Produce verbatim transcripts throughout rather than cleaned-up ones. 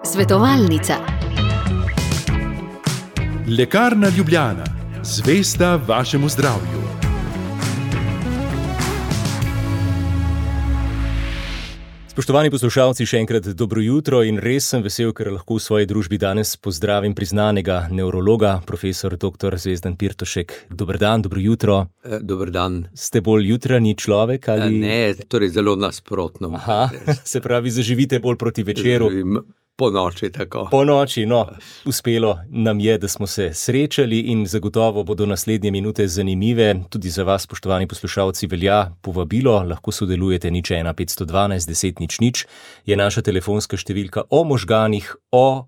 Svetovalnica. Lekarna Ljubljana, zvesta vašemu zdravju. Spoštovani poslušalci, še enkrat dobro jutro in res sem vesel, ker lahko v svoji družbi danes pozdravim priznanega nevrologa, profesor doktor Zvezdan Pirtošek. Dober dan, dobro jutro. E, dober dan. Ste bolj jutranji človek ali? Ne, torej zelo nasprotno. Aha, se pravi, zaživite bolj proti večeru. Živim po noči, tako. Po noči, no, uspelo nam je, da smo se srečali in zagotovo bodo naslednje minute zanimive. Tudi za vas, spoštovani poslušalci, velja povabilo, lahko sodelujete nič ena petsto dvanajst deset nič nič, je naša telefonska številka. O možganih, o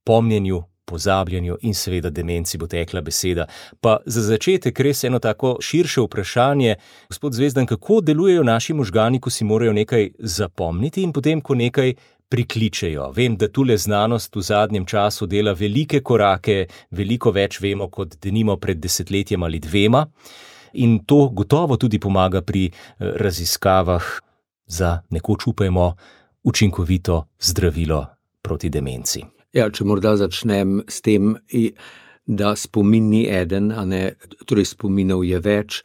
pomnjenju, pozabljanju in seveda demenci bo tekla beseda. Pa za začetek res eno tako širše vprašanje. Gospod Zvezdan, kako delujejo naši možgani, ko si morajo nekaj zapomniti in potem, ko nekaj prikličejo? Vem, da tule znanost v zadnjem času dela velike korake, veliko več vemo kot denimo pred desetletjem ali dvema in to gotovo tudi pomaga pri raziskavah za nekoč upajmo učinkovito zdravilo proti demenci. Ja, če morda začnem s tem, da spomin ni eden, a ne, torej spominov je več,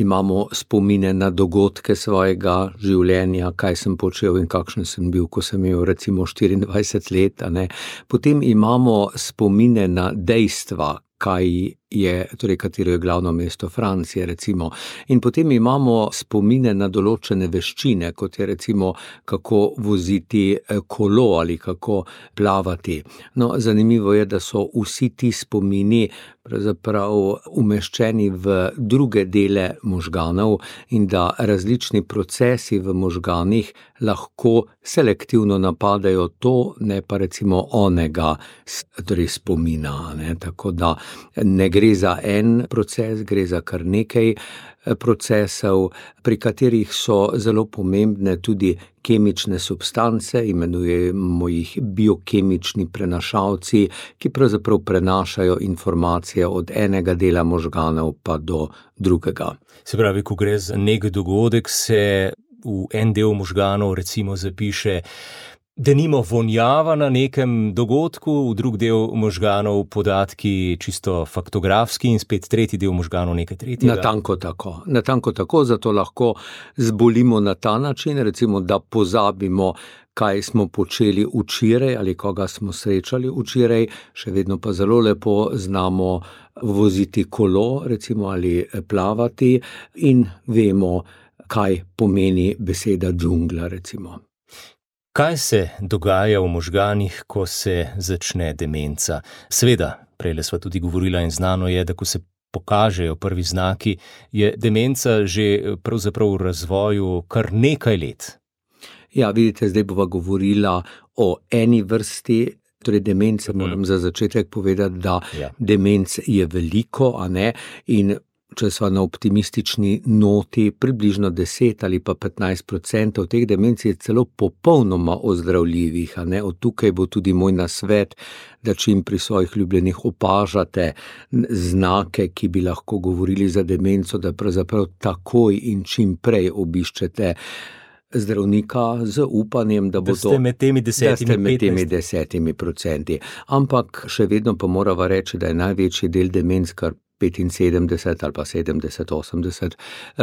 imamo spomine na dogodke svojega življenja, kaj sem počel in kakšen sem bil, ko sem imel recimo štiriindvajset let, a ne. Potem imamo spomine na dejstva, kaj je, torej katero je glavno mesto Francije, recimo. In potem imamo spomine na določene veščine, kot je recimo, kako voziti kolo ali kako plavati. No, zanimivo je, da so vsi ti spomini pravzaprav umeščeni v druge dele možganov in da različni procesi v možganih lahko selektivno napadajo to, ne pa recimo onega, torej spomina, ne. Tako da ne gre za en proces, gre za kar nekaj procesov, pri katerih so zelo pomembne tudi kemične substance, imenujemo jih biokemični prenašalci, ki pravzaprav prenašajo informacije od enega dela možganov pa do drugega. Se pravi, ko gre za nek dogodek, se v en del možganov recimo zapiše denimo vonjava na nekem dogodku, v drug del možganov podatki čisto faktografski in spet tretji del možganov nekaj tretjega. Natanko tako. Natanko tako, zato lahko zbolimo na ta način, recimo, da pozabimo, kaj smo počeli včeraj ali koga smo srečali včeraj, še vedno pa zelo lepo znamo voziti kolo, recimo, ali plavati in vemo, kaj pomeni beseda džungla, recimo. Kaj se dogaja v možganih, ko se začne demenca? Seveda, prejle sva tudi govorila in znano je, da ko se pokažejo prvi znaki, je demenca že pravzaprav v razvoju kar nekaj let. Ja, vidite, zdaj bova govorila o eni vrsti, torej demence, moram za začetek povedati, da Ja. demenc je veliko, a ne, in če sva na optimistični noti, približno deset ali pa petnajst procentov teh demenc je celo popolnoma ozdravljivih, a ne. Od tukaj bo tudi moj nasvet, da čim pri svojih ljubljenih opažate znake, ki bi lahko govorili za demenco, da pravzaprav takoj in čim prej obiščete zdravnika z upanjem, da bo Da ste med temi desetimi, da ste med temi petnajst. desetimi procenti. Ampak še vedno pa morava reči, da je največji del demenc, kar petinsedemdeset ali pa sedemdeset, osemdeset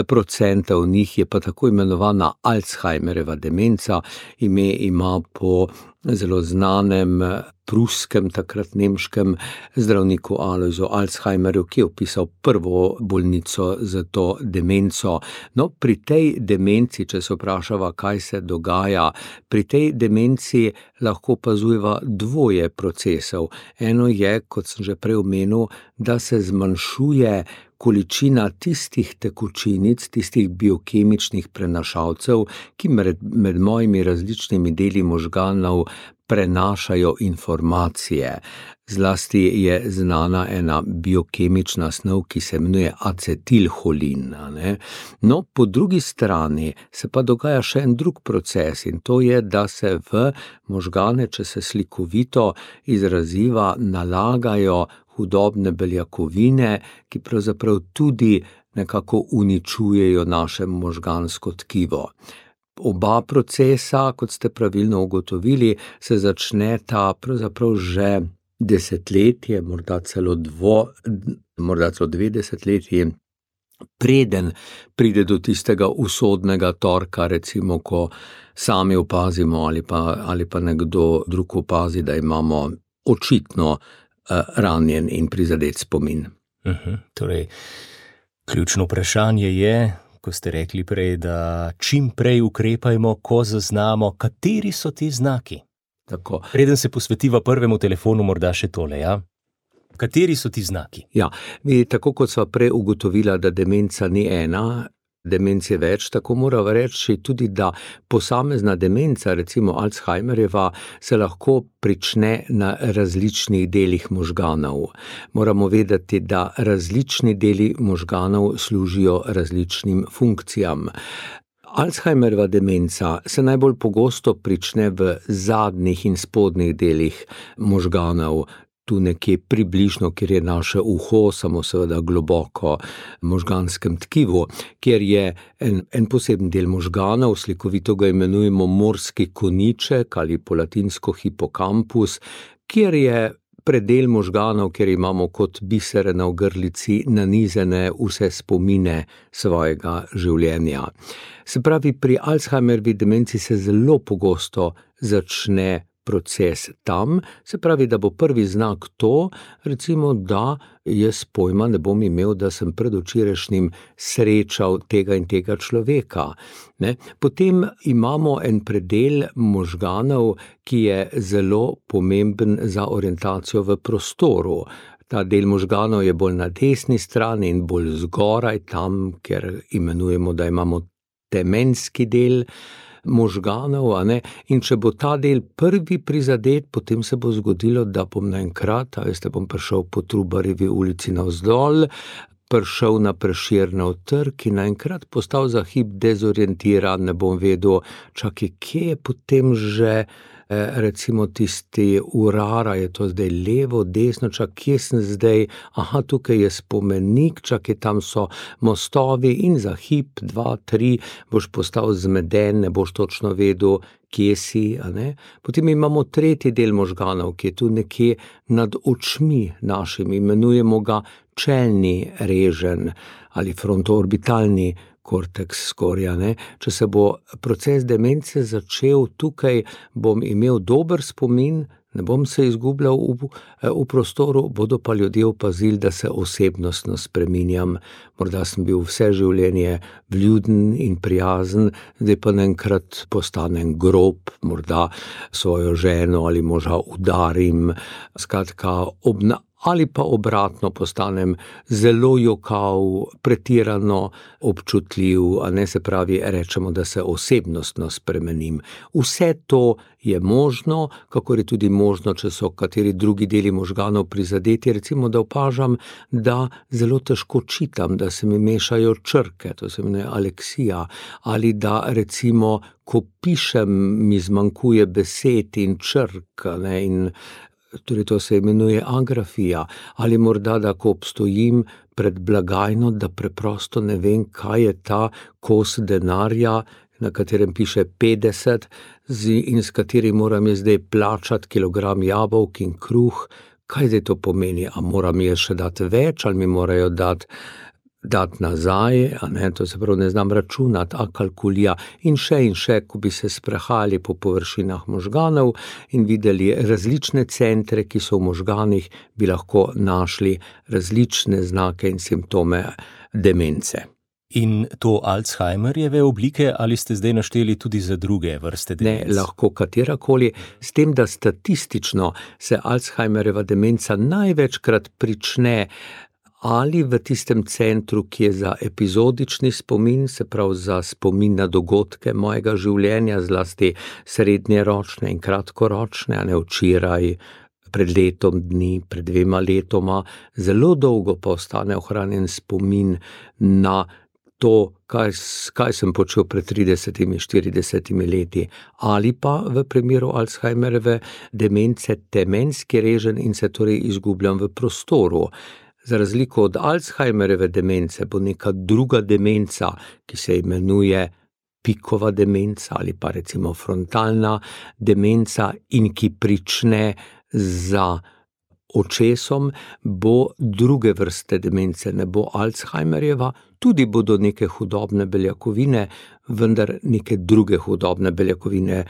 procentov njih je pa tako imenovana Alzheimerjeva demenca. Ime ima po zelo znanem pruskem, takrat nemškem zdravniku Alojzu Alzheimerju, ki je opisal prvo bolnico za to demenco. No, pri tej demenci, če se vprašava, kaj se dogaja, pri tej demenci lahko opazujeva dvoje procesov. Eno je, kot sem že prej omenil, da se zmanjšuje količina tistih tekočinic, tistih biokemičnih prenašalcev, ki med, med mojimi različnimi deli možganov prenašajo informacije. Zlasti je znana ena biokemična snov, ki se imenuje acetilholin. Ne? No, po drugi strani se pa dogaja še en drug proces in to je, da se v možgane, če se slikovito izraziva, nalagajo hudobne beljakovine, ki pravzaprav tudi nekako uničujejo naše možgansko tkivo. Oba procesa, kot ste pravilno ugotovili, se začneta pravzaprav že desetletje, morda celo dvo, morda celo dve desetletji, preden pride do tistega usodnega torka, recimo, ko sami opazimo ali pa, ali pa nekdo drug opazi, da imamo očitno uh, ranjen in prizadet spomin. Uh-huh. Torej, ključno vprašanje je, ko ste rekli prej, da čim prej ukrepajmo, ko zaznamo, kateri so ti znaki. Tako. Preden se posvetiva prvemu telefonu, morda še tole, ja? Kateri so ti znaki? Ja, mi, tako kot sva prej ugotovila, da demenca ni ena, demenc je več, tako moramo reči tudi, da posamezna demenca, recimo Alzheimerjeva, se lahko prične na različnih delih možganov. Moramo vedeti, da različni deli možganov služijo različnim funkcijam. Alzheimerjeva demenca se najbolj pogosto prične v zadnjih in spodnjih delih možganov, tu nekje približno, kjer je naše uho, samo seveda globoko možganskem tkivu, kjer je en, en poseben del možganov, slikovito ga imenujemo morski koniček ali po latinsko hipokampus, kjer je predel možganov, kjer imamo kot bisere na ogrlici nanizene vse spomine svojega življenja. Se pravi, pri Alzheimerjevi demenci se zelo pogosto začne proces tam, se pravi, da bo prvi znak to, recimo, da jaz pojma ne bom imel, da sem predvčerajšnjim srečal tega in tega človeka. Ne? Potem imamo en predel možganov, ki je zelo pomemben za orientacijo v prostoru. Ta del možganov je bolj na desni strani in bolj zgoraj, tam, kjer imenujemo, da imamo temenski del možganov, a ne? In če bo ta del prvi prizadet, potem se bo zgodilo, da bom naenkrat, a veste, bom prišel po Trubarjevi ulici navzdol, prišel na Prešernov trg in naenkrat postal za hip dezorientiran, ne bom vedel, čakaj, kje je potem že recimo tisti urara, je to zdaj levo, desno, čak, kje sem zdaj, aha, tukaj je spomenik, čakaj, tam so mostovi in za hip, dva, tri, boš postal zmeden, ne boš točno vedel, kje si, a ne? Potem imamo tretji del možganov, ki je tu nekje nad očmi našimi, imenujemo ga čelni reženj ali frontoorbitalni korteks skorja, ne? Če se bo proces demence začel tukaj, bom imel dober spomin, ne bom se izgubljal v, v prostoru, bodo pa ljudje opazili, da se osebnostno spreminjam. Morda sem bil vse življenje vljuden in prijazen, zdaj pa naenkrat postanem grob, morda svojo ženo ali moža udarim, skratka obna ali pa obratno postanem zelo jokav, pretirano občutljiv, a ne, se pravi, rečemo, da se osebnostno spremenim. Vse to je možno, kakor je tudi možno, če so kateri drugi deli možganov prizadeti, recimo, da opažam, da zelo težko čitam, da se mi mešajo črke, to se imenuje aleksija, ali da recimo, ko pišem, mi zmanjkuje besed in črk, ne, in torej to se imenuje agrafija, ali morda, da ko obstojim pred blagajno, da preprosto ne vem, kaj je ta kos denarja, na katerem piše petdeset in s katerim moram jaz zdaj plačati kilogram jabolk in kruh, kaj zdaj to pomeni, a moram jaz še dati več, ali mi morajo dati dati nazaj, a ne, to se prav ne znam računati, a kalkulija in še in še, ko bi se sprehajali po površinah možganov in videli različne centre, ki so v možganih, bi lahko našli različne znake in simptome demence. In to Alzheimerjeve oblike ali ste zdaj našteli tudi za druge vrste demenc? Ne, lahko katerakoli, s tem, da statistično se Alzheimerjeva demenca največkrat prične ali v tistem centru, ki je za epizodični spomin, se pravi za spomin na dogodke mojega življenja, zlasti srednjeročne in kratkoročne, a ne včeraj, pred letom dni, pred dvema letoma, zelo dolgo pa ostane ohranjen spomin na to, kaj, kaj sem počel pred tridesetimi, štiridesetimi leti, ali pa v primeru Alzheimerjeve demence temenski reženj in se torej izgubljam v prostoru. Za razliko od Alzheimerjeve demence bo neka druga demenca, ki se imenuje pikova demenca ali pa recimo frontalna demenca in ki prične za očesom, bo druge vrste demence, ne bo Alzheimerjeva, tudi bodo neke hudobne beljakovine, vendar neke druge hudobne beljakovine,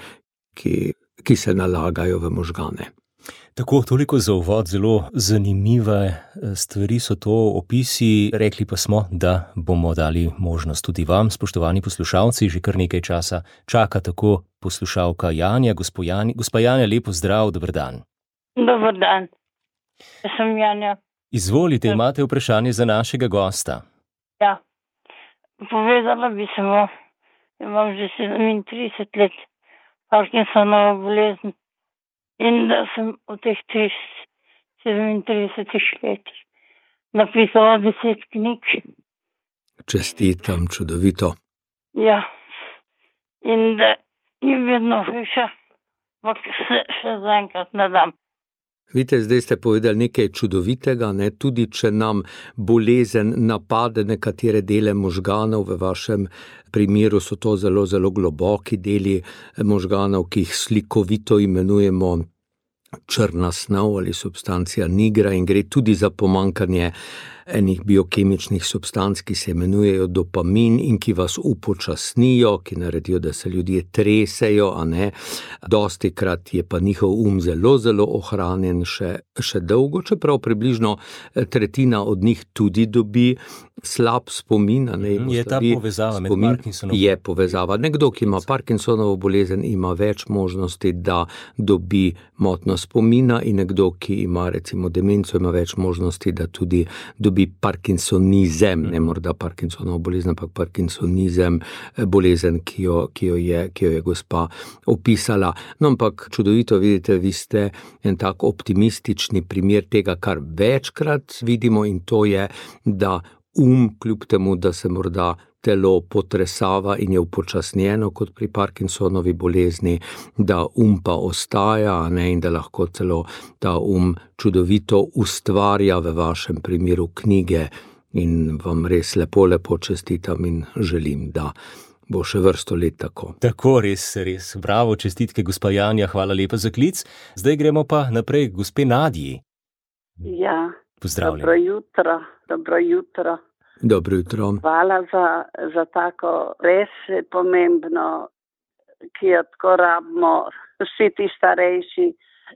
ki, ki se nalagajo v možgane. Tako, toliko za uvod, zelo zanimive stvari so to opisi, rekli pa smo, da bomo dali možnost tudi vam, spoštovani poslušalci, že kar nekaj časa čaka tako poslušalka Janja, gospa Janja, gospa Janja, lepo zdrav, dober dan. Dober dan, jaz sem Janja. Izvolite, imate vprašanje za našega gosta. Ja, povedala bi se vam, imam že sedemintrideset let Parkinsonovo bolezen. In da sem v teh sedemintridesetih letih napisala deset knjig. Čestitam, čudovito. Ja, in da je vedno hujša, ampak se še zaenkrat ne dam. Vidite, zdaj ste povedali nekaj čudovitega, ne? Tudi če nam bolezen napade nekatere dele možganov, v vašem primeru so to zelo, zelo globoki deli možganov, ki jih slikovito imenujemo črna snov ali substancija nigra in gre tudi za pomanjkanje enih biokemičnih substanc, ki se imenujejo dopamin in ki vas upočasnijo, ki naredijo, da se ljudje tresejo, a ne. Dostikrat je pa njihov um zelo, zelo ohranjen še, še dolgo, čeprav približno tretjina od njih tudi dobi slab spomin. A ne, je ta povezava med Parkinsonom? Je povezava. Nekdo, ki ima Parkinsonovo bolezen, ima več možnosti, da dobi motnjo spomina in nekdo, ki ima recimo demenco, ima več možnosti, da tudi dobi parkinsonizem, ne morda Parkinsonovo bolezen, ampak parkinsonizem, bolezen, ki jo, ki jo je, ki jo je gospa opisala. No, ampak čudovito, vidite, vi ste en tak optimistični primer tega, kar večkrat vidimo, in to je, da um, kljub temu, da se morda telo potresava in je upočasnjeno kot pri Parkinsonovi bolezni, da um pa ostaja, ne, in da lahko celo ta um čudovito ustvarja, v vašem primeru knjige, in vam res lepo, lepo čestitam in želim, da bo še vrsto let tako. Tako, res, res. Bravo, čestitke, gospa Janja, hvala lepa za klic. Zdaj gremo pa naprej k gospe Nadji. Ja, pozdravljeni. Dobro jutro, dobro jutro. Dobro jutro. Hvala za, za tako res pomembno, ki jo tako rabimo vsi ti starejši.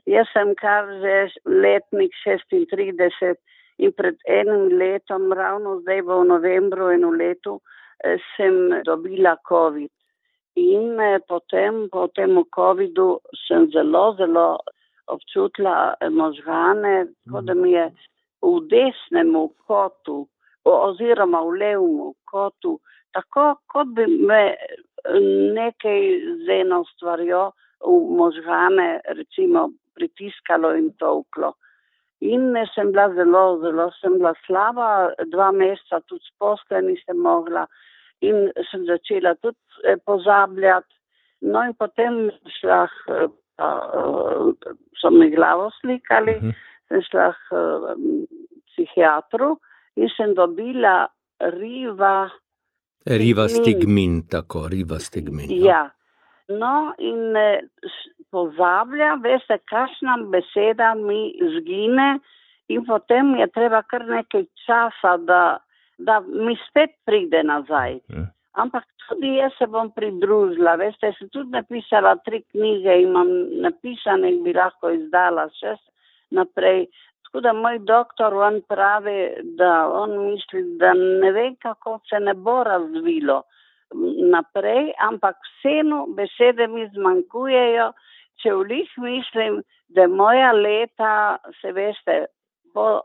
Jaz sem kar že letnik šestintrideset in pred enim letom, ravno zdaj v novembru in v letu, sem dobila COVID. In potem, po tem covidu sem zelo, zelo občutila možgane, tako da mi je v desnemu kotu oziroma v levemu kotu, tako kot bi me nekaj z eno stvarjo v možgane recimo pritiskalo in tolklo. In sem bila zelo, zelo sem bila slaba, dva meseca tudi postelj nisem mogla in sem začela tudi pozabljati. No in potem šla, so mi glavo slikali, uh-huh. sem šla k psihiatru in sem dobila riva... Rivastigmin, tako, rivastigmin. Ja. No in eh, pozablja, veste, kakšna beseda mi zgine in potem je treba kar nekaj časa, da, da mi spet pride nazaj. Hmm. Ampak tudi jaz se bom pridružila, veste, sem tudi napisala tri knjige, imam napisane in bi lahko izdala še naprej. Tako da moj doktor, on pravi, da on misli, da ne ve, kako se ne bo razvilo naprej, ampak vseeno besede mi zmanjkujejo, če vlih mislim, da moja leta, se veste, bo,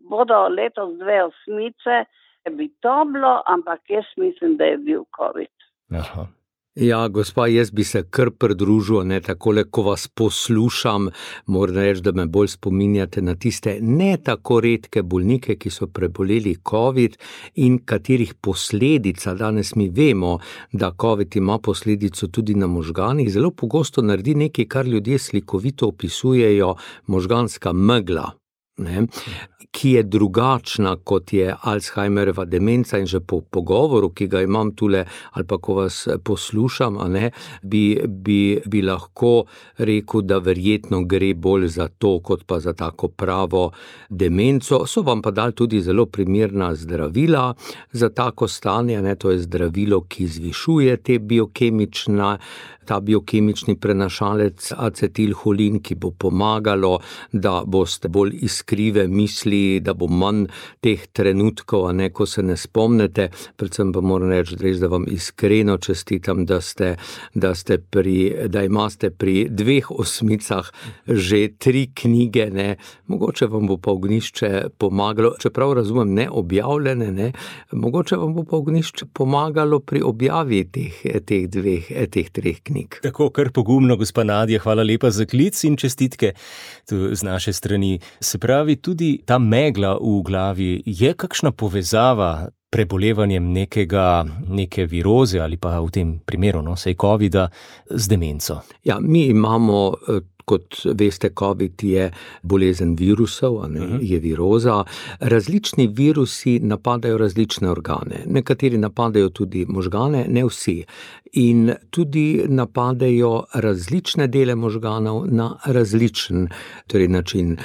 bodo letos dve osmice, bi to bilo, ampak jaz mislim, da je bil COVID. Aha. Ja, gospa, jaz bi se kar pridružil, ne, takole, ko vas poslušam, moram reči, da me bolj spominjate na tiste ne tako redke bolnike, ki so preboleli COVID in katerih posledica, danes mi vemo, da COVID ima posledico tudi na možganih, zelo pogosto naredi nekaj, kar ljudje slikovito opisujejo, možganska megla. ne, ki je drugačna, kot je Alzheimerjeva demenca, in že po pogovoru, ki ga imam tule, ali pa ko vas poslušam, a ne, bi, bi, bi lahko rekel, da verjetno gre bolj za to, kot pa za tako pravo demenco. So vam pa dali tudi zelo primerna zdravila za tako stanje, ne, to je zdravilo, ki zvišuje te biokemična, ta biokemični prenašalec acetilholin, ki bo pomagalo, da boste bolj iskrive misli, da bo manj teh trenutkov, a ne, ko se ne spomnite. Predvsem pa moram reči, res, da vam iskreno čestitam, da ste, da ste pri, da imate pri dveh osmicah že tri knjige, ne. Mogoče vam bo pa Ognjišče pomagalo, čeprav razumem, ne objavljene, ne, mogoče vam bo pa Ognjišče pomagalo pri objavi teh, teh dveh, teh treh knjig. Tako, kar pogumno, gospa Nadja, hvala lepa za klic in čestitke tu z naše strani. Se pravi, tudi ta megla v glavi, je kakšna povezava prebolevanjem nekega, neke viroze ali pa v tem primeru, no, sej covida, z demenco? Ja, mi imamo, kot veste, covid je bolezen virusov, a ne, uh-huh. je viroza. Različni virusi napadajo različne organe. Nekateri napadajo tudi možgane, ne vsi. In tudi napadajo različne dele možganov na različen torej način.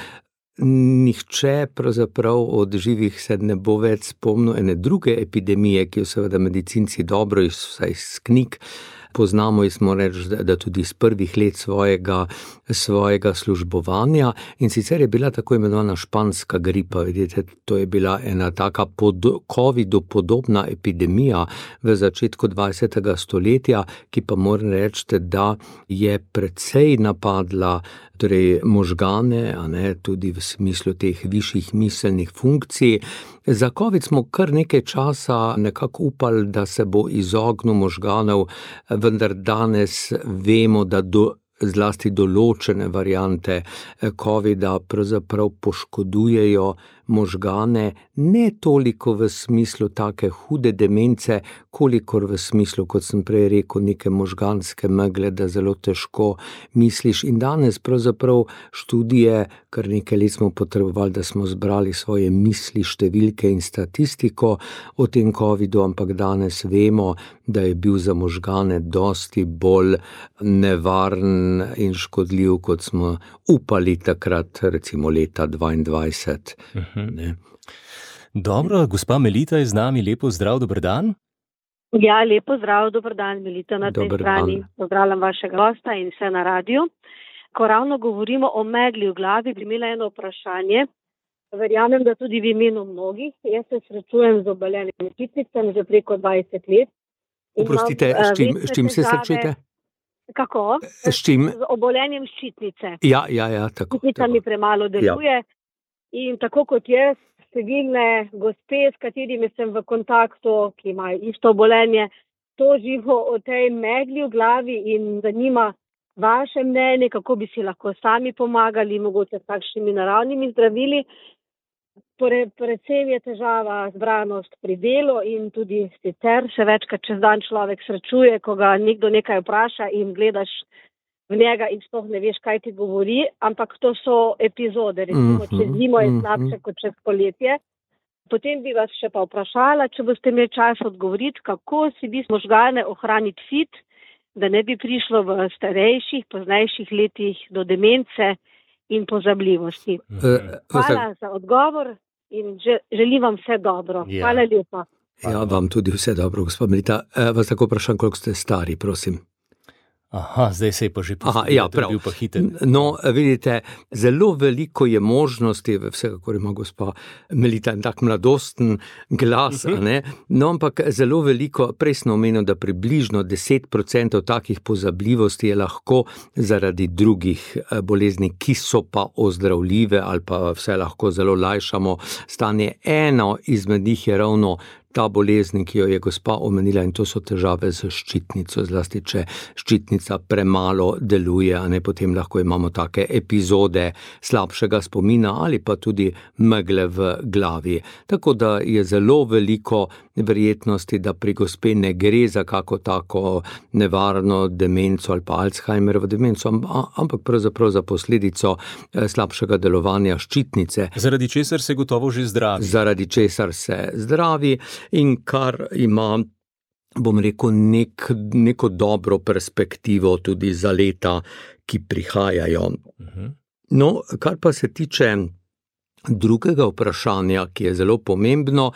Nihče pravzaprav od živih se ne bo več spomnil ene druge epidemije, ki jo seveda medicinci dobro iz, vsaj iz knjig poznamo, in smo reči, da tudi iz prvih let svojega, svojega službovanja, in sicer je bila tako imenovana španska gripa. Vidite, to je bila ena taka pod covidu podobna epidemija v začetku dvajsetega stoletja, ki pa moram reči, da je precej napadla torej možgane, a ne, tudi v smislu teh višjih miselnih funkcij. Za covid smo kar nekaj časa nekako upali, da se bo izognil možganov, vendar danes vemo, da do, zlasti določene variante covida pravzaprav poškodujejo možgane, ne toliko v smislu take hude demence, kolikor v smislu, kot sem prej rekel, neke možganske megle, da zelo težko misliš. In danes pravzaprav študije, kar nekaj let smo potrebovali, da smo zbrali svoje misli, številke in statistiko o tem covidu, ampak danes vemo, da je bil za možgane dosti bolj nevaren in škodljiv, kot smo upali takrat, recimo leta dvaindvajset. Ne. Dobro, gospa Melita je z nami, lepo zdrav, dober dan. Ja, lepo zdrav, dober dan, Melita na tej strani. Pozdravljam vašega gosta in vse na radiju. Ko ravno govorimo o megli v glavi, bi imela eno vprašanje. Verjamem, da tudi v imenu mnogih. Jaz se srečujem z obolenjem ščitnicami že preko dvajset let. Oprostite, s čim, s čim se srečujete? Kako? S čim? Z obolenjem ščitnice. Ja, ja, ja, tako. Ščitnica mi premalo deluje. Ja. In tako kot jaz, številne gospe, s katerimi sem v kontaktu, ki imajo isto obolenje, tožijo o tej megli v glavi in zanima vaše mnenje, kako bi si lahko sami pomagali, mogoče s takšnimi naravnimi zdravili. Pre, predvsem je težava zbranost pri delu in tudi sicer še večkrat čez dan človek srečuje, ko ga nekdo nekaj vpraša in gledaš v njega in sploh ne veš, kaj ti govori, ampak to so epizode, recimo, čez zimo je slabše kot čez poletje. Potem bi vas še pa vprašala, če boste imeli čas odgovoriti, kako si bi možgane ohraniti fit, da ne bi prišlo v starejših, poznejših letih do demence in pozabljivosti. Hvala za odgovor in želim vam vse dobro. Ja. Hvala lepa. Ja, vam tudi vse dobro, gospod Melita. Vas tako vprašam, koliko ste stari, prosim. Aha, zdaj se je pa že Aha, ja, prav. bil pa hiter. No, vidite, zelo veliko je možnosti, vsekakor ima gospa Melita en tak mladosten glas, ne? No, ampak zelo veliko, prej sem omenil, da približno deset procentov takih pozabljivosti je lahko zaradi drugih bolezni, ki so pa ozdravljive ali pa vse lahko zelo lajšamo stanje. Eno izmed njih je ravno ta bolezen, ki jo je gospa omenila, in to so težave z ščitnico, zlasti če ščitnica premalo deluje, a ne, potem lahko imamo take epizode slabšega spomina ali pa tudi megle v glavi. Tako da je zelo veliko verjetnosti, da pri gospe ne gre za kako tako nevarno demenco ali pa Alzheimerjevo demenco, ampak pravzaprav za posledico slabšega delovanja ščitnice. Zaradi česar se gotovo že zdravi. Zaradi česar se zdravi in kar ima, bom rekel, nek, neko dobro perspektivo tudi za leta, ki prihajajo. Uh-huh. No, kar pa se tiče drugega vprašanja, ki je zelo pomembno,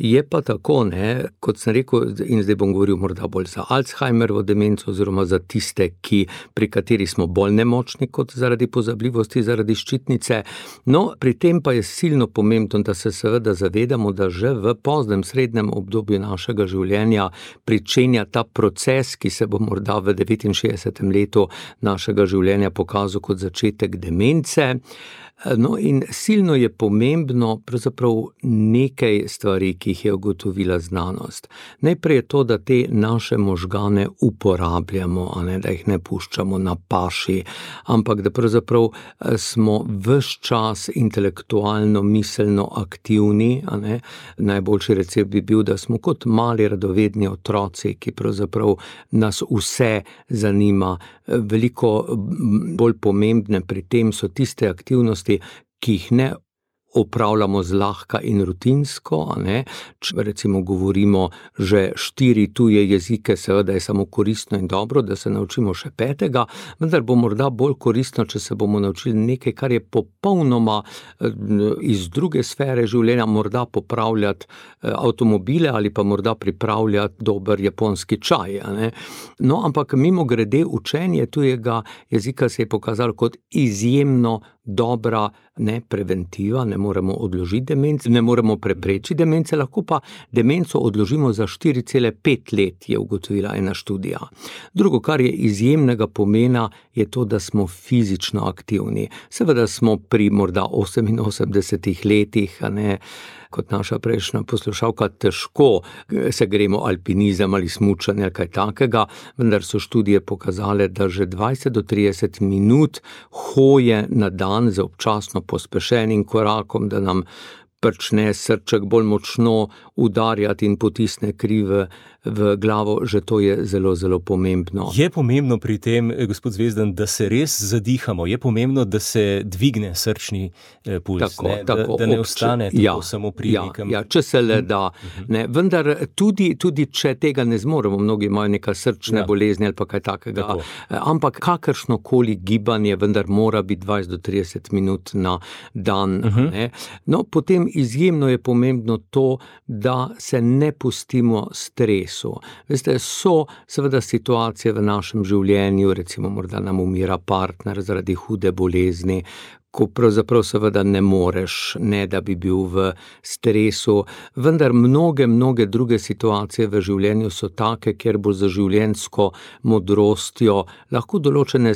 je pa tako, ne, kot sem rekel, in zdaj bom govoril morda bolj za Alzheimerjevo demenco oziroma za tiste, ki, pri kateri smo bolj nemočni kot zaradi pozabljivosti, zaradi ščitnice. No, pri tem pa je silno pomembno, da se seveda zavedamo, da že v poznem srednjem obdobju našega življenja pričenja ta proces, ki se bo morda v devetinšestdesetem letu našega življenja pokazal kot začetek demence. No, in silno je pomembno pravzaprav nekaj stvari, ki jih je ugotovila znanost. Najprej je to, da te naše možgane uporabljamo, a ne, da jih ne puščamo na paši, ampak da pravzaprav smo ves čas intelektualno, miselno aktivni, a ne. Najboljši recept bi bil, da smo kot mali radovedni otroci, ki pravzaprav nas vse zanima. Veliko bolj pomembne pri tem so tiste aktivnosti, ki jih ne opravljamo zlahka in rutinsko, a ne. Če recimo govorimo že štiri tuje jezike, seveda je samo koristno in dobro, da se naučimo še petega, vendar bo morda bolj koristno, če se bomo naučili nekaj, kar je popolnoma iz druge sfere življenja, morda popravljati avtomobile ali pa morda pripravljati dober japonski čaj, a ne. No, ampak mimogrede učenje tujega jezika se je pokazalo kot izjemno dobra, ne, preventiva, ne moremo odložiti demence, ne moremo preprečiti demence, lahko pa demenco odložimo za štiri cele pet let, je ugotovila ena študija. Drugo, kar je izjemnega pomena, je to, da smo fizično aktivni. Seveda smo pri morda oseminosemdesetih letih, a ne, kot naša prejšnja poslušalka, težko se gremo alpinizem ali smučanje ali kaj takega, vendar so študije pokazale, da že dvajset do trideset minut hoje na dan z občasno pospešenim korakom, da nam prične srček bolj močno udarjati in potisne kri v, v glavo, že to je zelo, zelo pomembno. Je pomembno pri tem, gospod Zvezdan, da se res zadihamo, je pomembno, da se dvigne srčni eh, puls, tako, ne? Tako, da, da ne ob, ostane tako ja, samo pri ja, nekem. Ja, če se le da, ne, vendar tudi, tudi če tega ne zmoremo, mnogi imajo neka srčne ja. bolezni ali pa kaj takega, tako. Ampak kakršnokoli gibanje, vendar mora biti dvajset do trideset minut na dan. Uh-huh. Ne? No, potem izjemno je pomembno to, da se ne pustimo stresu. Veste, so seveda situacije v našem življenju, recimo morda nam umira partner zaradi hude bolezni, ko pravzaprav seveda ne moreš, ne da bi bil v stresu, vendar mnoge, mnoge druge situacije v življenju so take, kjer bo za življenjsko modrostjo lahko določene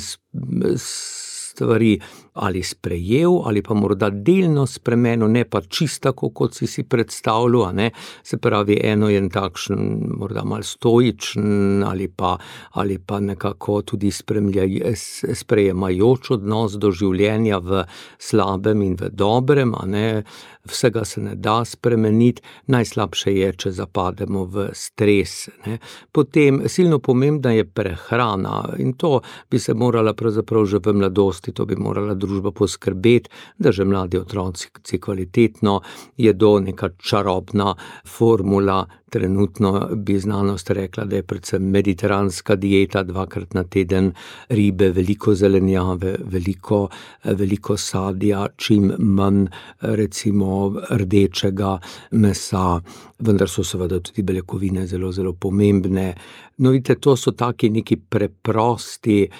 stvari ali sprejel, ali pa morda delno spremenil, ne pa čisto tako, kot si si predstavljal, a ne. Se pravi, eno je takšen, morda malo stoičen, ali pa, ali pa nekako tudi sprejemajoč odnos do življenja v slabem in v dobrem, a ne. Vsega se ne da spremeniti, najslabše je, če zapademo v stres, ne. Potem silno pomembna je prehrana in to bi se morala pravzaprav že v mladosti, to bi morala družba poskrbeti, da že mladi otroci kvalitetno jedo, neka čarobna formula. Trenutno bi znanost rekla, da je predvsem mediteranska dieta, dvakrat na teden ribe, veliko zelenjave, veliko, veliko sadja, čim manj recimo rdečega mesa, vendar so seveda tudi beljakovine zelo, zelo pomembne. No, vidite, to so taki neki preprosti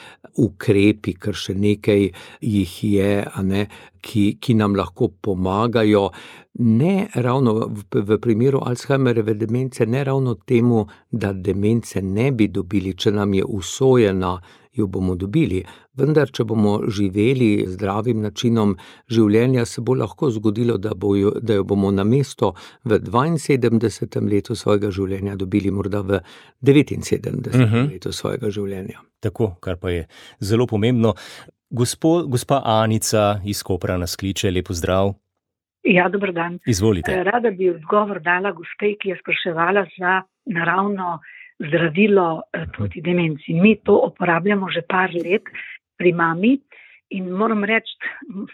ukrepi, ker še nekaj jih je, a ne, ki, ki nam lahko pomagajo. Ne ravno v, v primeru Alzheimerjeve demence, ne ravno temu, da demence ne bi dobili, če nam je usojena, jo bomo dobili. Vendar, če bomo živeli zdravim načinom življenja, se bo lahko zgodilo, da, bo jo, da jo bomo namesto v dvainsedemdesetem letu svojega življenja dobili morda v devetinsedemdesetem uh-huh. letu svojega življenja. Tako, kar pa je zelo pomembno. Gospo, gospa Anica iz Kopra nas kliče, lepo zdrav. Ja, dober dan. Izvolite. Rada bi odgovor dala gospe, ki je spraševala za naravno zdravilo proti demenci. Mi to uporabljamo že par let pri mami in moram reči,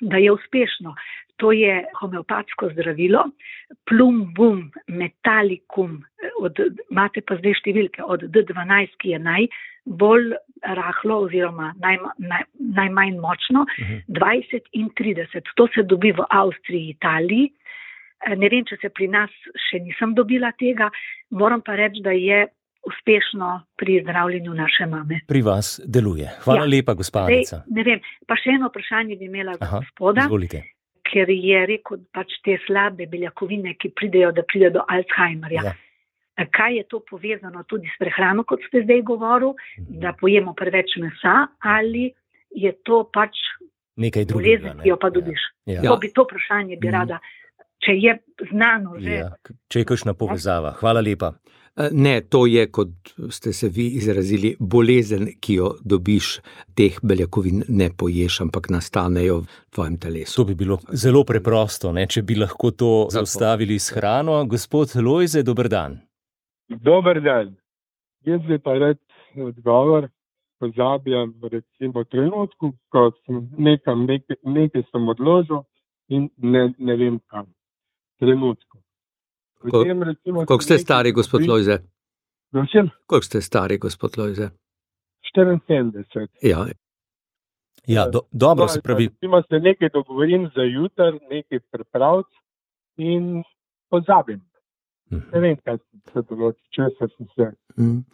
da je uspešno. To je homeopatsko zdravilo, Plum Bum Metallicum, od, imate pa zdaj številke od D dvanajst, ki je najbolj rahlo oziroma naj, naj, najmanj močno, dvajset in trideset. To se dobi v Avstriji, Italiji. Ne vem, če se pri nas še nisem dobila tega, moram pa reči, da je uspešno pri zdravljenju naše mame. Pri vas deluje. Hvala ja. lepa, gospa Anica. Ne vem, pa še eno vprašanje bi imela za gospoda, izvolite. Ker je rekel pač te slabe beljakovine, ki pridejo, da pride do Alzheimerja. Ja. Kaj je to povezano tudi s prehrano, kot ste zdaj govoril, da pojemo preveč mesa, ali je to pač nekaj drugega, bolezen, ki jo pa dobiš? Ja. To, bi, to vprašanje bi rada, če je znano že. Ja. Če je kakšna povezava. Hvala lepa. Ne, to je, kot ste se vi izrazili, bolezen, ki jo dobiš, teh beljakovin ne poješ, ampak nastanejo v tvojem telesu. To bi bilo zelo preprosto, ne, če bi lahko to Zato. zaustavili s hrano. Gospod Lojze, dober dan. Dober dan. Jaz bi pa rad odgovor, pozabljam recimo trenutku, ko sem nekam, nekaj, nekaj sem odložil in ne, ne vem kam. Trenutku. Koliko ste stari, gospod Lojze? Koliko ste stari, gospod Lojze? štiriinsedemdeset. Ja, ja do, dobro se pravi. Recimo se nekaj dogovorim za jutr, nekaj pripraviti in pozabim. Mm. Ne vem, kaj se določi, če sem se mm.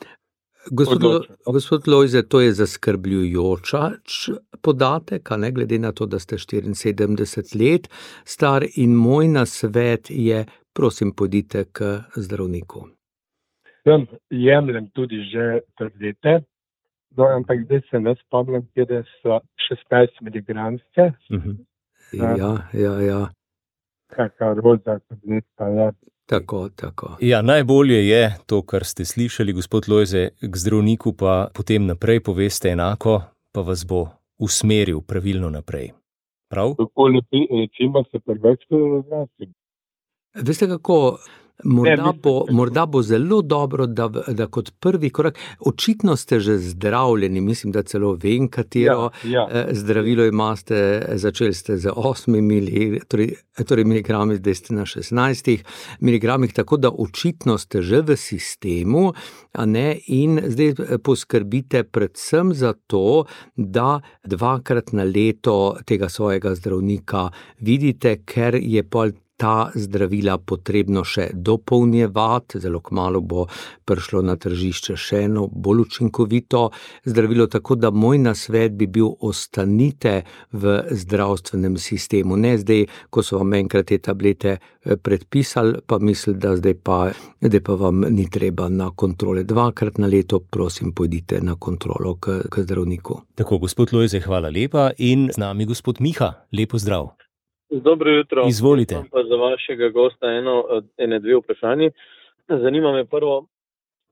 Gospod, Lo, gospod Lojze, to je zaskrbljujoča podatek, a ne glede na to, da ste štiriinsedemdeset let star, in moj nasvet je, prosim, pojdite k zdravniku. Sem jemljem tudi že tablete, no, ampak zdaj se ne spomnim, kjer so šestnajst miligramske. Uh-huh. Ja, ja, ja. Kakva roza tableta, ja. Tako, tako. Ja, najbolje je to, kar ste slišali, gospod Lojze, k zdravniku pa potem naprej poveste enako, pa vas bo usmeril pravilno naprej. Prav? Tako recimo se prveč razrasim. Veste kako, morda bo, morda bo zelo dobro, da, da kot prvi korak, očitno ste že zdravljeni, mislim, da celo vem, katero ja, ja. zdravilo imate, začeli ste z osmimi mili, torej, torej miligrami, zdaj ste na šestnajstih miligramih, tako da očitno ste že v sistemu, a ne, in zdaj poskrbite predvsem za to, da dvakrat na leto tega svojega zdravnika vidite, ker je pol ta zdravila potrebno še dopolnjevati, zelo kmalu bo prišlo na tržišče še eno bolj učinkovito zdravilo, tako da moj nasvet bi bil, ostanite v zdravstvenem sistemu. Ne zdaj, ko so vam enkrat te tablete predpisali, pa misli, da zdaj pa, zdaj pa vam ni treba na kontrole. Dvakrat na leto, prosim, pojdite na kontrolo k, k zdravniku. Tako, gospod Lojze, hvala lepa, in z nami gospod Miha, lepo zdrav. Dobro jutro. Izvolite. Imam pa za vašega gosta eno, ene dve vprašanje. Zanima me prvo,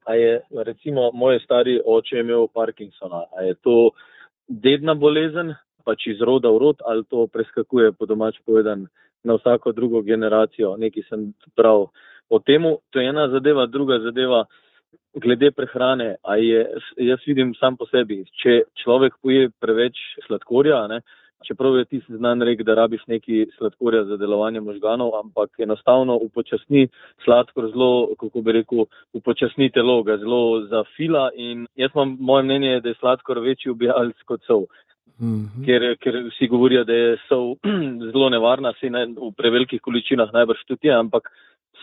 a je recimo moj stari oče imel Parkinsona, a je to dedna bolezen, pač iz roda v rod, ali to preskakuje, po domač povedan, na vsako drugo generacijo. Nekaj sem prav o temu. To je ena zadeva, druga zadeva glede prehrane. A je, jaz vidim sam po sebi, če človek poje preveč sladkorja, ne, čeprav je ti znan rek, da rabiš neki sladkorja za delovanje možganov, ampak enostavno upočasni sladkor zelo, kako bi rekel, upočasni telo, ga zelo zafila, in jaz imam, moje mnenje je, da je sladkor večji ubijalec kot sol. Mm-hmm. Ker, ker vsi govorijo, da je sol zelo nevarna, si ne, v prevelikih količinah najbrž tudi je, ampak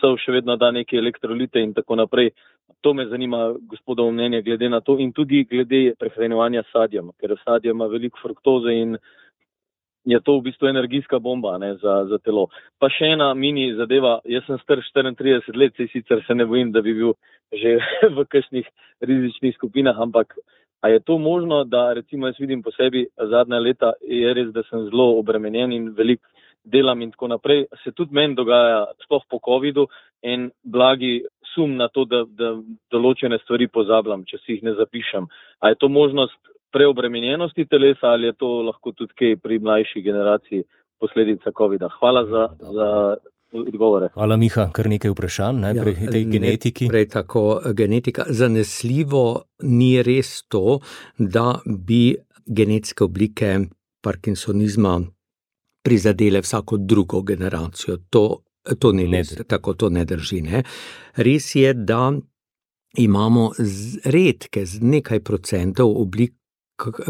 sol še vedno da neke elektrolite in tako naprej. To me zanima, gospodovo mnenje, glede na to in tudi glede prehranjevanja s sadjem, ker sadje ima veliko fruktoze in je to v bistvu energijska bomba, ne, za, za telo. Pa še ena mini zadeva, jaz sem star štiriintrideset let, sej sicer se ne bojim, da bi bil že v kakšnih rizičnih skupinah, ampak a je to možno, da recimo jaz vidim po sebi zadnja leta, je res, da sem zelo obremenjen in veliko delam in tako naprej, se tudi meni dogaja, sploh po covidu, en blagi sum na to, da, da določene stvari pozabljam, če si jih ne zapišem. A je to možnost preobremenjenosti telesa ali je to lahko tudi kaj pri mlajši generaciji posledica covida. Hvala za, za odgovore. Hvala, Miha, kar nekaj vprašanj, najprej ja, tej genetiki. Najprej tako genetika. Zanesljivo ni res to, da bi genetske oblike Parkinsonizma prizadele vsako drugo generacijo. To, to ni res, tako to ne drži. Ne? Res je, da imamo redke, z nekaj procentov oblik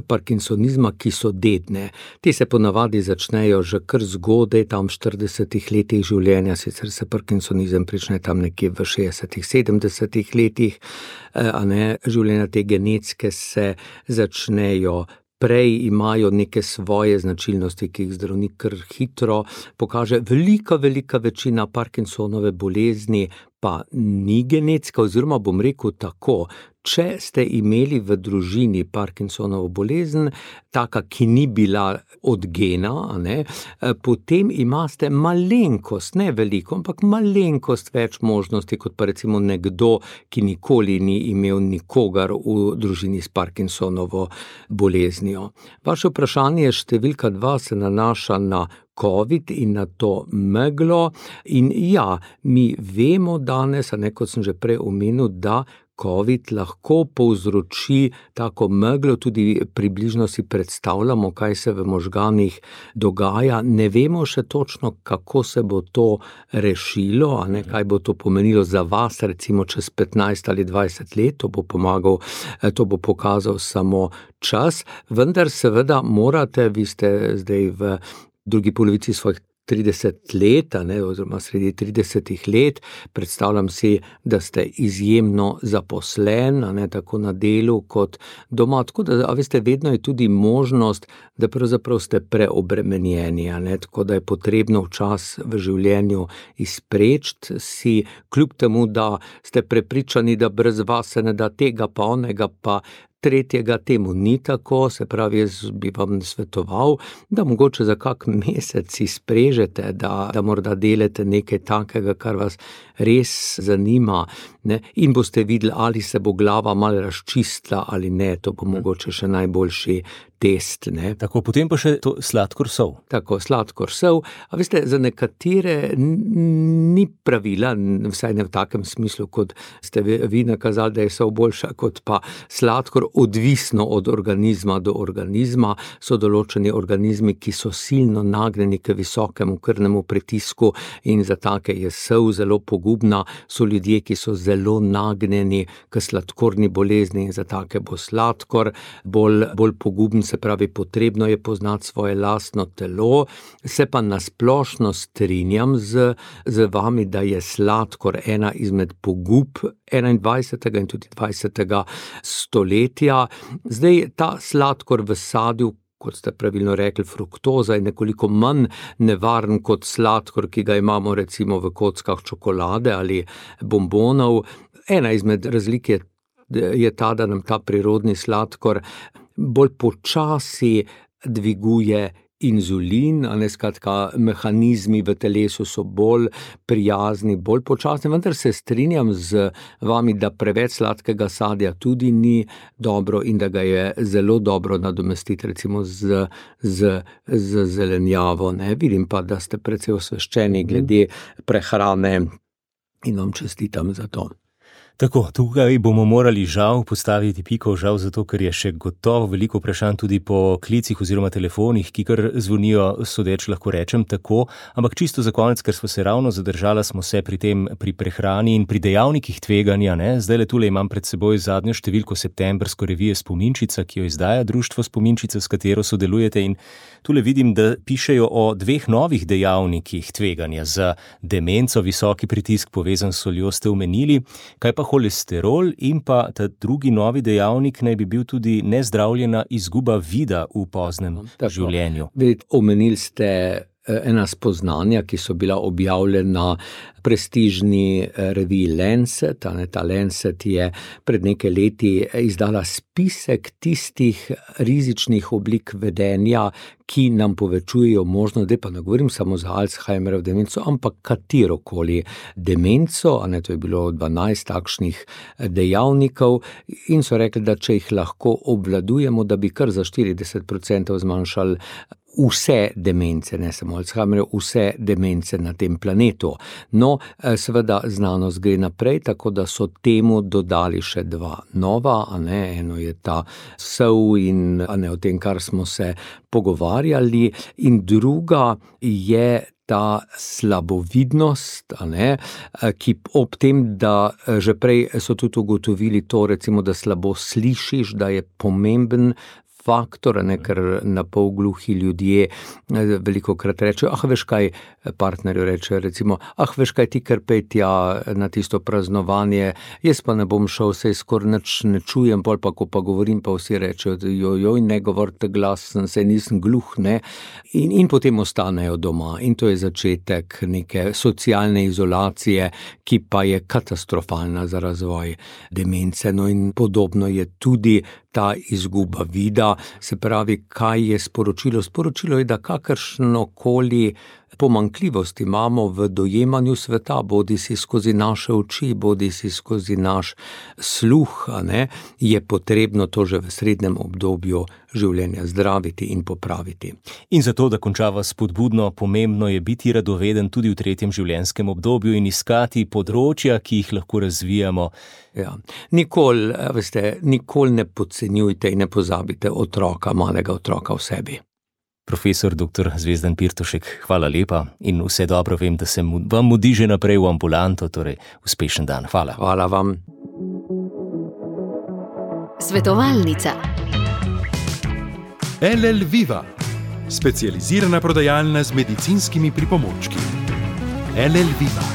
Parkinsonizma, ki so dedne. Te se ponavadi začnejo že kar zgodaj, tam v štiridesetih letih življenja, sicer se Parkinsonizem prične tam nekje v šestdesetih, sedemdesetih letih, a ne, življenja te genetske se začnejo prej, imajo neke svoje značilnosti, ki jih zdravnik kar hitro pokaže. Velika, velika večina Parkinsonove bolezni pa ni genetska, oziroma bom rekel tako, če ste imeli v družini Parkinsonovo bolezen, taka, ki ni bila od gena, a ne, potem imate malenkost, ne veliko, ampak malenkost več možnosti, kot pa recimo nekdo, ki nikoli ni imel nikogar v družini s Parkinsonovo boleznijo. Vaše vprašanje številka dva se nanaša na COVID in na to meglo. In ja, mi vemo danes, a ne, kot sem že prej omenil, da COVID lahko povzroči tako meglo, tudi približno si predstavljamo, kaj se v možganih dogaja. Ne vemo še točno, kako se bo to rešilo, a ne, kaj bo to pomenilo za vas, recimo čez petnajst ali dvajset let, to bo pomagal, to bo pokazal samo čas, vendar seveda morate, vi ste zdaj v drugi polovici svojih trideset let, ne, oziroma sredi tridesetih let, predstavljam si, da ste izjemno zaposlen, ne, tako na delu kot doma, tako da, a veste, vedno je tudi možnost, da pravzaprav ste preobremenjeni, ne, tako da je potrebno včas v življenju izpreči si, kljub temu, da ste prepričani, da brez vas se ne da tega pa onega pa tretjega, temu ni tako, se pravi, jaz bi vam svetoval, da mogoče za kak mesec izprežete, da, da morda delate nekaj takega, kar vas res zanima, ne, in boste videli, ali se bo glava malo razčistila ali ne, to bo mogoče še najboljši test, ne. Tako, potem pa še to sladkor sol. Tako, sladkor sol, a veste, za nekatere ni pravila, vsaj ne v takem smislu, kot ste vi nakazali, da je sol boljša kot pa sladkor, odvisno od organizma do organizma, so določeni organizmi, ki so silno nagnjeni k visokemu krvnemu pritisku in za take je sol zelo pogubna, so ljudje, ki so zelo nagnjeni k sladkorni bolezni in za take bo sladkor bolj, bolj poguben, se pravi, potrebno je poznati svoje lastno telo, se pa nasplošno strinjam z, z vami, da je sladkor ena izmed pogub enaindvajsetega in tudi dvajsetega stoletja. Zdaj, ta sladkor v sadju, kot ste pravilno rekli, fruktoza je nekoliko manj nevaren kot sladkor, ki ga imamo recimo v kockah čokolade ali bombonov. Ena izmed razlik je, je ta, da nam ta prirodni sladkor bolj počasi dviguje inzulin, a ne, skratka, mehanizmi v telesu so bolj prijazni, bolj počasni, vendar se strinjam z vami, da preveč sladkega sadja tudi ni dobro in da ga je zelo dobro nadomestiti recimo z, z, z zelenjavo, ne. Vidim pa, da ste precej osveščeni glede prehrane in vam čestitam za to. Tako, tukaj bomo morali žal postaviti piko, žal zato, ker je še gotovo veliko vprašanj tudi po klicih oziroma telefonih, ki kar zvonijo, sodeč lahko rečem tako, ampak čisto za konec, ker smo se ravno zadržala, smo se pri tem, pri prehrani in pri dejavnikih tveganja, ne, zdaj le tule imam pred seboj zadnjo številko septembrsko revije Spominčica, ki jo izdaja društvo Spominčica, s katero sodelujete, in tule vidim, da pišejo o dveh novih dejavnikih tveganja za demenco, visoki pritisk povezan s soljo ste omenili, kaj pa holesterol in pa ta drugi novi dejavnik naj bi bil tudi nezdravljena izguba vida v poznem Tako. življenju. Vidite, omenili ste ena spoznanja, ki so bila objavljena prestižni reviji Lancet, ne, ta Lancet je pred nekaj leti izdala spisek tistih rizičnih oblik vedenja, ki nam povečujejo možnost, da pa ne govorim samo za Alzheimerjev demenco, ampak katerokoli demenco, a ne, to je bilo dvanajst takšnih dejavnikov in so rekli, da če jih lahko obvladujemo, da bi kar za štirideset procentov zmanjšali vse demence, ne samo Alzheimerjev, vse demence na tem planetu. No, seveda znanost gre naprej, tako da so temu dodali še dva nova, a ne, eno je ta sol in a ne o tem, kar smo se pogovarjali, in druga je ta slabovidnost, a ne, ki ob tem, da že prej so tudi ugotovili to, recimo, da slabo slišiš, da je pomemben faktor, ne, ker na pol gluhi ljudje veliko krat rečejo, ah, veš kaj, partnerju reče, recimo, ah, veš kaj, ti kar pej tja na tisto praznovanje, jaz pa ne bom šel, sej skoraj nič ne čujem, pol pa, ko pa govorim, pa vsi rečejo, joj, ne govorite glasen, sej nisem gluh, ne, in, in potem ostanejo doma. In to je začetek neke socialne izolacije, ki pa je katastrofalna za razvoj demence. No in podobno je tudi ta izguba vida, se pravi, kaj je sporočilo? Sporočilo je, da kakršnokoli pomanjkljivost imamo v dojemanju sveta, bodi si skozi naše oči, bodi si skozi naš sluh, a ne, je potrebno to že v srednjem obdobju življenja zdraviti in popraviti. In zato, da končava spodbudno, pomembno je biti radoveden tudi v tretjem življenjskem obdobju in iskati področja, ki jih lahko razvijamo. Ja, nikoli, veste, nikoli ne podcenjujte in ne pozabite otroka, malega otroka v sebi. Profesor doktor Zvezdan Pirtošek, hvala lepa in vse dobro, vem, da se vam mudi že naprej v ambulanto, torej uspešen dan. Hvala. Hvala vam. Svetovalnica. L L Viva, specializirana prodajalna z medicinskimi pripomočki. L L Viva.